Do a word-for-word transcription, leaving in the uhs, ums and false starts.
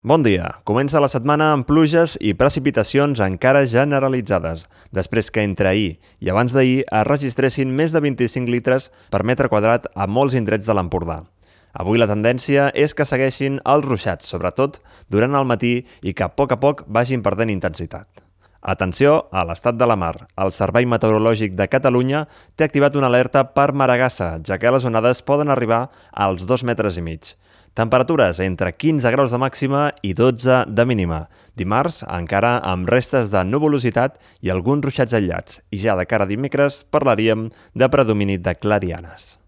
Bon dia. Comença la setmana amb pluges i precipitacions encara generalitzades, després que entre ahir i abans d'ahir es registressin més de vint-i-cinc litres per metre quadrat a molts indrets de l'Empordà. Avui la tendència és que segueixin els ruixats, sobretot durant el matí, i que a poc a poc vagin perdent intensitat. Atenció a l'estat de la mar. El Servei Meteorològic de Catalunya té activat una alerta per maragassa, ja que les onades poden arribar als dos metres i mig. Temperatures entre quinze graus de màxima i dotze de mínima. Dimarts, encara amb restes de nuvolositat i alguns ruixats aïllats. I ja de cara a dimecres parlaríem de predomini de clarianes.